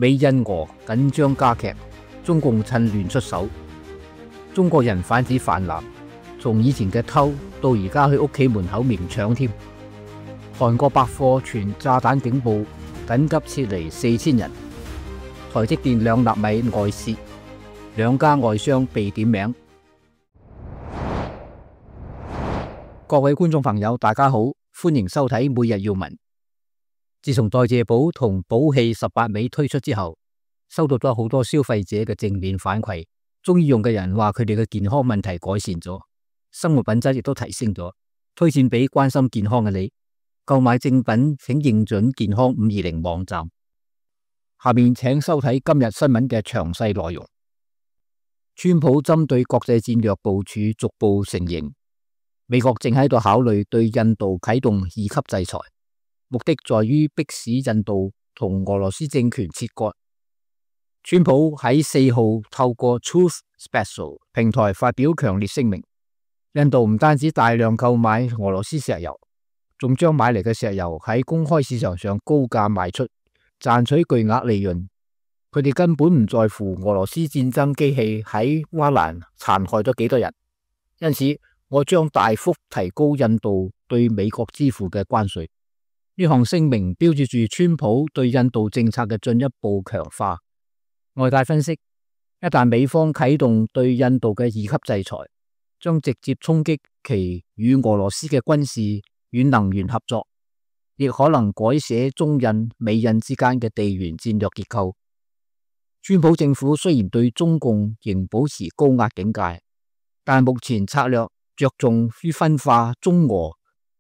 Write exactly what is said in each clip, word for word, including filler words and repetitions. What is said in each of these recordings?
美印俄緊張加劇，中共趁亂出手。中國人販子泛濫，從以前嘅偷到而家去屋企門口明搶添。韓國百貨傳炸彈警報，緊急撤離四千人。台積電兩納米外洩，兩家外商被點名。各位觀眾朋友，大家好，歡迎收睇每日要聞。自從代謝寶同寶氣十八味推出之後，收到咗好多消費者嘅正面反饋，中意用嘅人話佢哋嘅健康問題改善咗，生活品質亦都提升咗，推薦俾關心健康嘅你。購買正品請認準健康五二零網站。下面請收睇今日新聞嘅詳細內容。川普針對國際戰略部署逐步成形，美國正喺度考慮對印度啟動二級制裁，目的在於迫使印度同俄羅斯政權切割。川普喺四號透過 Truth Social 平台發表強烈聲明，印度唔單止大量購買俄羅斯石油，仲將買嚟嘅石油喺公開市場上高價賣出，賺取巨額利潤。佢哋根本唔在乎俄羅斯戰爭機器喺烏克蘭殘害咗幾多人，因此我將大幅提高印度對美國支付嘅關稅。呢項聲明標誌住川普對印度政策嘅進一步強化。外界分析，一旦美方啟動對印度嘅二級制裁，將直接衝擊其與俄羅斯嘅軍事與能源合作，亦可能改寫中印、美印之間嘅地緣戰略結構。川普政府雖然對中共仍保持高壓警戒，但目前策略着重於分化中俄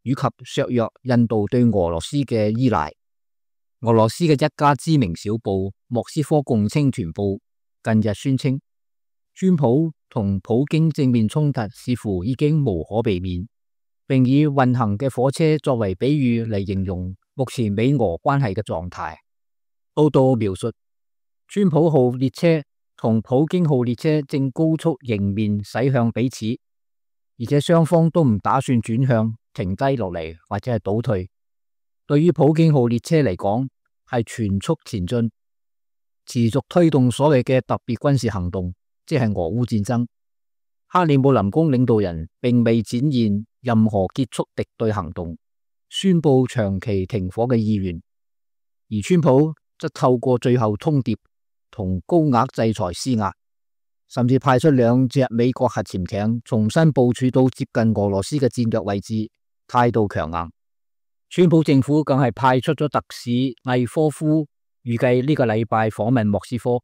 以及削弱印度對俄羅斯嘅依賴。俄羅斯嘅一家知名小報《莫斯科共青團報》近日宣稱，川普同普京正面衝突似乎已經無可避免，並以運行嘅火車作為比喻嚟形容目前美俄關係嘅狀態。報道描述，川普號列車同普京號列車正高速迎面駛向彼此，而且雙方都唔打算轉向、停低落嚟或者係倒退。對於普京號列車嚟講，係全速前進，持續推動所謂嘅特別軍事行動，即係俄烏戰爭。克里姆林宮領導人並未展現任何結束敵對行動、宣布長期停火嘅意願，而川普則透過最後通牒同高額制裁施壓，甚至派出兩隻美國核潛艇重新部署到接近俄羅斯嘅戰略位置，態度強硬。川普政府更係派出咗特使魏科夫，預計呢個禮拜訪問莫斯科。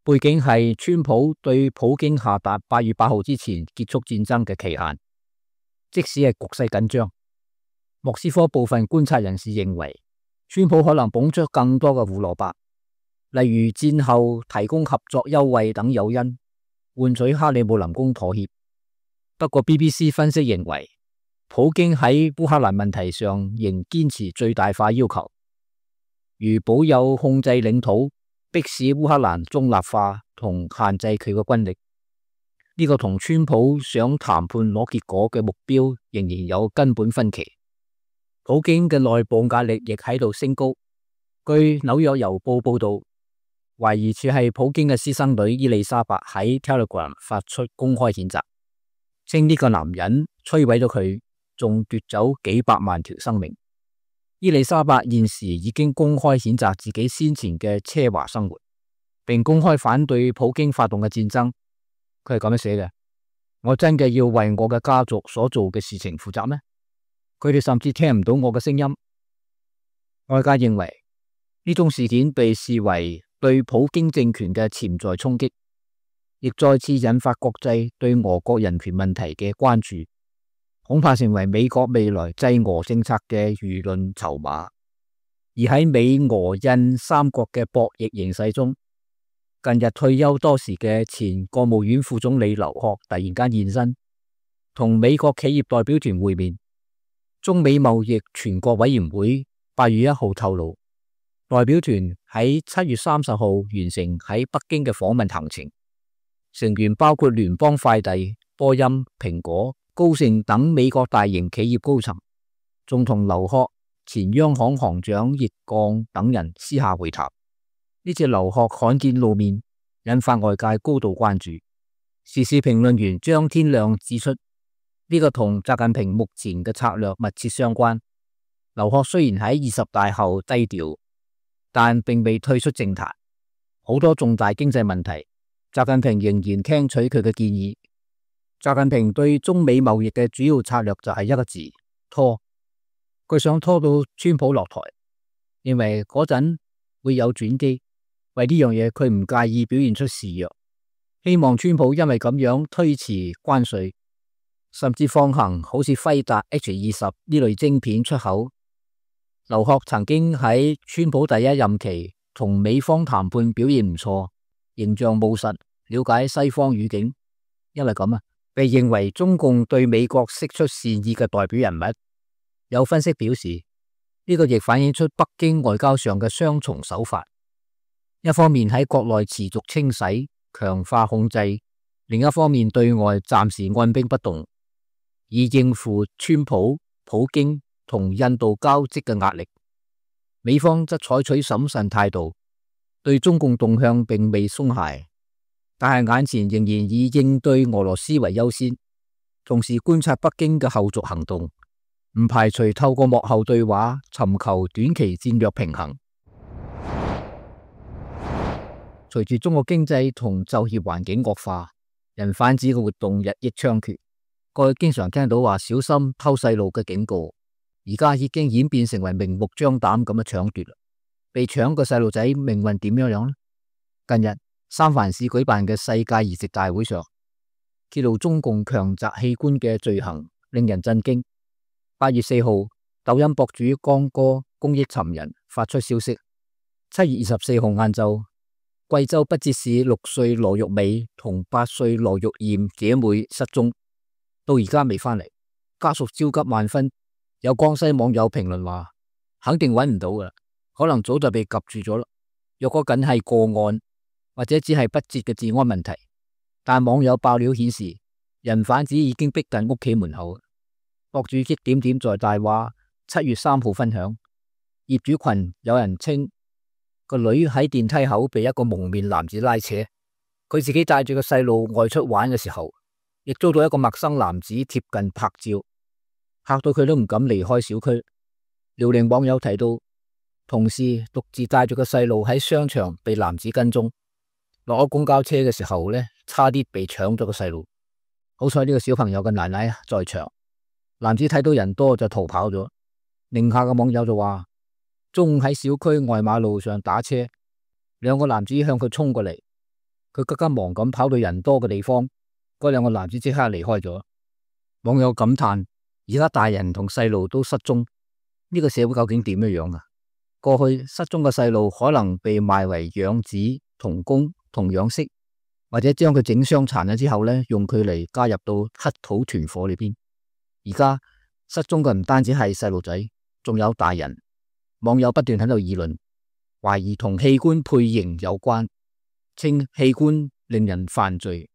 背景係川普對普京下達八月八號之前結束戰爭嘅期限，即使係局勢緊張。莫斯科部分觀察人士認為，川普可能捧出更多嘅胡蘿蔔，例如戰後提供合作優惠等誘因，換取克里姆林宮妥協。不過 B B C 分析認為，普京喺烏克蘭問題上仍堅持最大化要求，如保有控制領土，迫使烏克蘭中立化同限制佢嘅軍力。呢、這個同川普想談判攞結果嘅目標仍然有根本分歧。普京嘅內部壓力亦喺度升高。據紐約郵報報道，懷疑處係普京嘅私生女伊麗莎白喺 Telegram 發出公開譴責，稱呢個男人摧毀咗佢，仲奪走幾百萬條生命。伊麗莎白現時已經公開譴責自己先前嘅奢華生活，並公開反對普京發動嘅戰爭。佢係咁樣寫嘅：我真嘅要為我嘅家族所做嘅事情負責咩？佢哋甚至聽唔到我嘅聲音。外界認為呢種事件被視為對普京政權嘅潛在衝擊，亦再次引發國際對俄國人權問題嘅關注，恐怕成為美國未來制俄政策嘅輿論籌碼。而喺美俄印三國嘅博弈形勢中，近日退休多時嘅前國務院副總理劉鶴突然間現身，同美國企業代表團會面。中美貿易全國委員會八月一號透露，代表團喺七月三十號完成喺北京嘅訪問行程，成員包括聯邦快遞、波音、蘋果、高盛等美國大型企業高層，仲同劉鶴、前央行行長易綱等人私下會談。呢次劉鶴罕見露面，引發外界高度關注。時事評論員張天亮指出，呢個同習近平目前嘅策略密切相關。劉鶴雖然喺二十大後低調，但並未退出政壇。好多重大經濟問題，習近平仍然聽取佢嘅建議。習近平對中美貿易嘅主要策略就係一個字：拖。佢想拖到川普落台，認為嗰陣會有轉機。為呢樣嘢，佢唔介意表現出示弱，希望川普因為咁樣推遲關稅，甚至放行好似輝達 H 二十呢類晶片出口。劉鶴曾經喺川普第一任期同美方談判表現唔錯，形象務實，了解西方語境，因為咁啊，被認為中共對美國釋出善意嘅代表人物。有分析表示，呢個亦反映出北京外交上嘅雙重手法。一方面喺國內持續清洗、強化控制，另一方面對外暫時按兵不動，以應付川普、普京同印度交織嘅壓力。美方則採取審慎態度，對中共動向並未鬆懈，但係眼前仍然以應對俄羅斯為優先，同時觀察北京嘅後續行動，唔排除透過幕後對話尋求短期戰略平衡。隨住中國經濟同就業環境惡化，人販子嘅活動日益猖獗。過去經常聽到話小心偷細路嘅警告，而家已經演變成為明目張膽咁嘅搶奪。被搶嘅細路仔命運點樣樣呢？近日三藩市舉辦嘅世界移植大會上，揭露中共強摘器官嘅罪行，令人震驚。八月四號，抖音博主江哥公益尋人發出消息，七月二十四號晏晝，貴州畢節市六歲羅玉美同八歲羅玉艷姐妹失蹤，到而家未返嚟，家屬焦急萬分。有江西網友評論話，肯定揾唔到噶啦，可能早就被及住咗啦。若果僅係個案，或者只係不節嘅治安問題，但網友爆料顯示，人販子已經逼近屋企門口。博主激點點在大話七月三號分享，業主群有人稱個女喺電梯口被一個蒙面男子拉扯，佢自己帶住個細路外出玩嘅時候，亦遭到一個陌生男子貼近拍照，嚇到佢都唔敢離開小區。遼寧網友提到，同事獨自帶住個細路喺商場被男子跟蹤，落咗公交車嘅時候呢，差啲被搶咗個細路。好彩呢個小朋友嘅奶奶在場，男子睇到人多就逃跑咗。寧夏嘅網友就話，中午喺小區外馬路上打車，兩個男子向佢衝過嚟，佢急急忙咁跑到人多嘅地方，嗰兩個男子即刻離開咗。網友感嘆，而家大人同細路都失蹤，呢個社會究竟點樣樣啊？過去失蹤嘅細路可能被賣為養子、童工同養媳，或者將佢整傷殘咗之後呢，用佢嚟加入到乞討團伙裏邊。而家失蹤嘅唔單止係細路仔，仲有大人。網友不斷喺度議論，懷疑同器官配型有關，稱器官令人犯罪。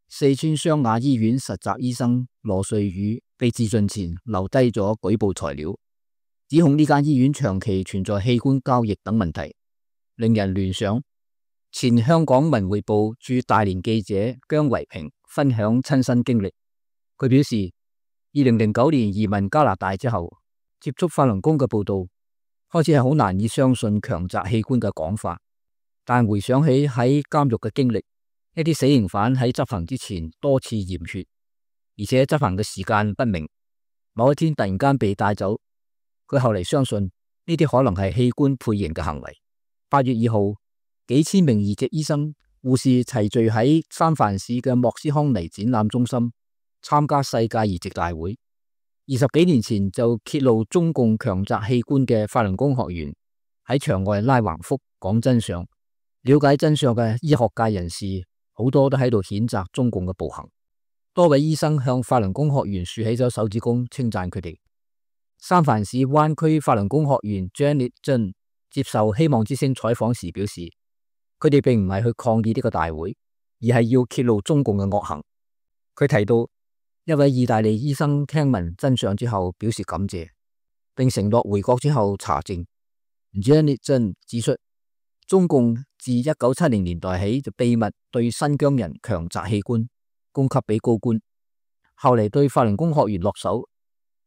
四川湘雅醫院實習醫生羅瑞宇被自盡前留低咗舉報材料，指控呢間醫院長期存在器官交易等問題，令人聯想。前香港文匯報駐大連記者姜維平分享親身經歷，佢表示，二零零九年移民加拿大之後，接觸法輪功嘅報道，開始係好難以相信強摘器官嘅講法，但回想起喺監獄嘅經歷，一啲死刑犯喺執行之前多次驗血，而且執行嘅時間不明，某一天突然間被帶走，佢後嚟相信呢啲可能係器官配型嘅行為。八月二號，幾千名移植醫生、護士齊聚喺三藩市嘅莫斯康尼展覽中心參加世界移植大會。二十幾年前就揭露中共強摘器官嘅法輪功學員喺場外拉橫幅講真相，了解真相嘅醫學界人士好多都喺度譴責中共嘅暴行。多位醫生向法輪功學員豎起咗手指公，稱讚佢哋。三藩市灣區法輪功學員 Janet Jen 接受希望之聲採訪時表示，佢哋並唔係去抗議呢個大會，而係要揭露中共嘅惡行。佢提到，一位意大利醫生聽聞真相之後表示感謝，並承諾回國之後查證。Janet Jen 指出，中共自一九七零年代起就秘密對新疆人強摘器官，供給俾高官，後嚟對法輪功學員落手，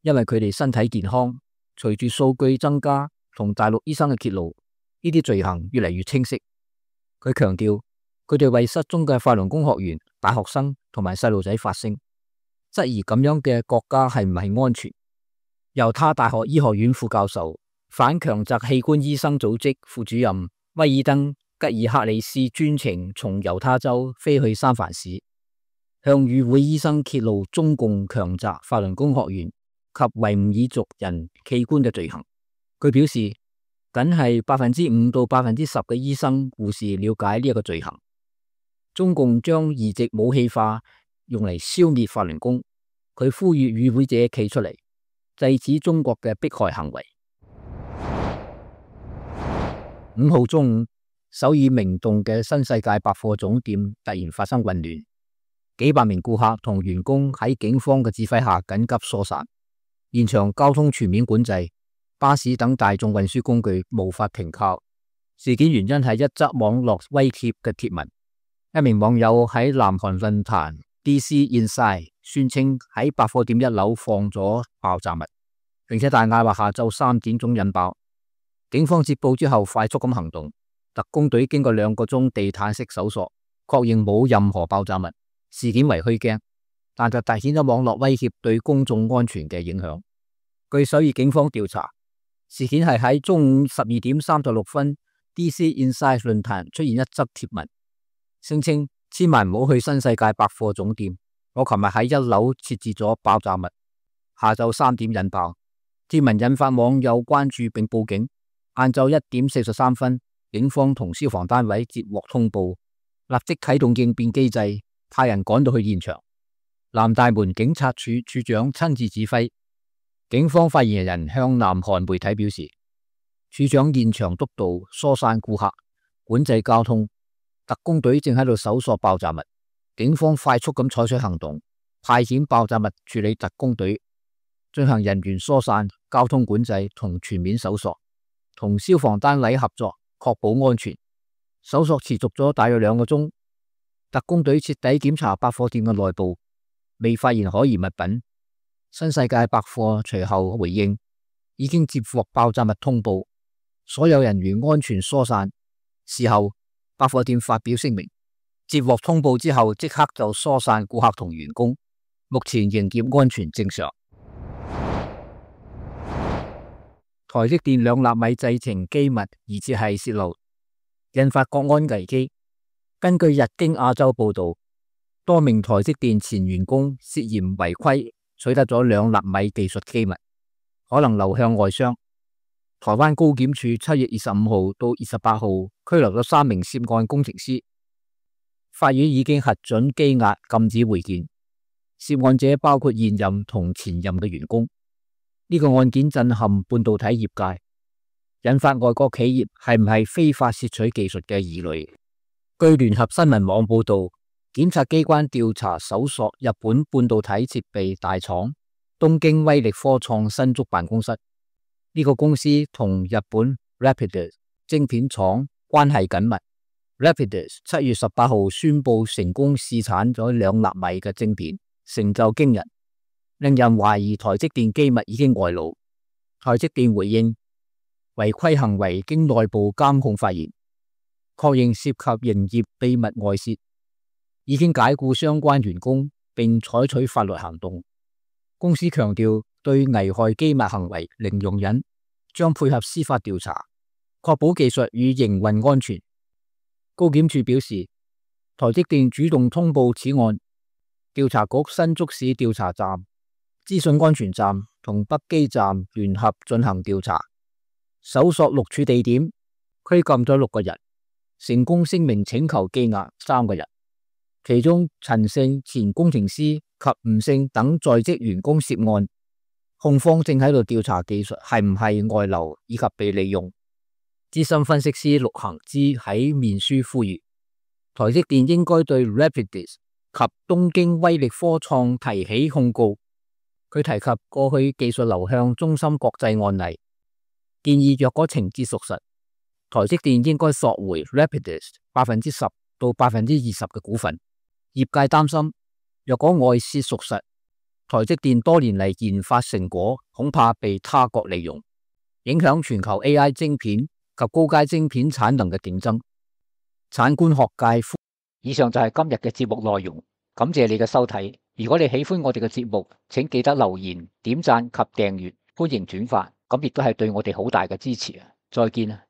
因為佢哋身體健康。隨住數據增加同大陸醫生嘅揭露，呢啲罪行越嚟越清晰。佢強調，佢哋為失蹤嘅法輪功學員、大學生同埋細路仔發聲，質疑咁樣嘅國家係唔係安全。猶他大學醫學院副教授、反強摘器官醫生組織副主任威爾登吉爾克里斯專程從猶他州飛去三藩市，向與會醫生揭露中共強摘法輪功學員及維吾爾族人器官嘅罪行。佢表示，僅係百分之五到百分之十嘅醫生護士了解呢一個罪行。中共將移植武器化，用嚟消滅法輪功。佢呼籲與會者企出嚟，制止中國嘅迫害行為。五號中午，首爾明洞嘅新世界百貨總店突然發生混亂，幾百名顧客同員工喺警方嘅指揮下緊急疏散，現場交通全面管制，巴士等大眾運輸工具無法停靠。事件原因係一則網絡威脅嘅貼文，一名網友喺南韓論壇 D C Inside 宣稱喺百貨店一樓放咗爆炸物，並且大嗌話下晝三點鐘引爆。警方接報之後快速咁行動，特工隊經過兩個鐘地毯式搜索，確認冇任何爆炸物，事件為虛驚，但就凸顯咗網絡威脅對公眾安全嘅影響。據首爾警方調查，事件係喺中午十二點三十六分 D C Inside 論壇出現一則貼文，聲稱千萬唔好去新世界百貨總店，我琴日喺一樓設置咗爆炸物，下晝三點引爆。貼文引發網友關注並報警。晏晝一點四十三分，警方同消防單位接獲通報，立即啟動應變機制，派人趕到去現場。南大門警察處處長親自指揮。警方發言人向南韓媒體表示，處長現場督導疏散顧客、管制交通，特工隊正喺度搜索爆炸物。警方快速咁採取行動，派遣爆炸物處理特工隊進行人員疏散、交通管制同全面搜索。同消防單位合作，確保安全。搜索持續咗大約兩個鐘，特工隊徹底檢查百貨店嘅內部，未發現可疑物品。新世界百貨隨後回應，已經接獲爆炸物通報，所有人員安全疏散。事後，百貨店發表聲明，接獲通報之後即刻就疏散顧客同員工，目前營業安全正常。台積電兩納米製程機密疑似係洩漏，引發國安危機。根據日經亞洲報道，多名台積電前員工涉嫌違規取得咗兩納米技術機密，可能流向外商。台灣高檢署七月二十五號到二十八號拘留咗三名涉案工程師，法院已經核准羈押禁止會見。涉案者包括現任同前任嘅員工。呢個案件震撼半導體業界，引發外國企業係唔係非法竊取技術嘅疑慮。據聯合新聞網報道，檢察機關調查搜索日本半導體設備大廠東京威力科創新竹辦公室。呢、這個公司同日本 Rapidus 晶片廠關係緊密。Rapidus 七月十八號宣布成功試產咗兩納米嘅晶片，成就驚人，令人懷疑台積電機密已經外露。台積電回應，違規行為經內部監控發現，確認涉及營業秘密外泄，已經解僱相關員工並採取法律行動。公司強調對危害機密行為零容忍，將配合司法調查，確保技術與營運安全。高檢署表示，台積電主動通報此案，調查局新竹市調查站、資訊安全站同北基站聯合進行調查，搜索六處地點，拘禁咗六個人，成功聲明請求羈押三個人，其中陳姓前工程師及吳姓等在職員工涉案。控方正喺度調查技術係唔係外流以及被利用。資深分析師陸行之喺面書呼籲，台積電應該對 Rapidus 及東京威力科創提起控告。佢提及過去技術流向中芯國際案例，建議若果情節屬實，台積電應該索回 Rapidus 百分之十到百分之二十嘅股份。業界擔心，若果外泄屬實，台積電多年嚟研發成果恐怕被他國利用，影響全球 A I 晶片及高階晶片產能嘅競爭。產官學界，以上就係今日嘅節目內容，感謝你嘅收睇。如果你喜歡我哋嘅節目，請記得留言、點讚及訂閱，歡迎轉發，咁亦都係對我哋好大嘅支持啊！再見啊！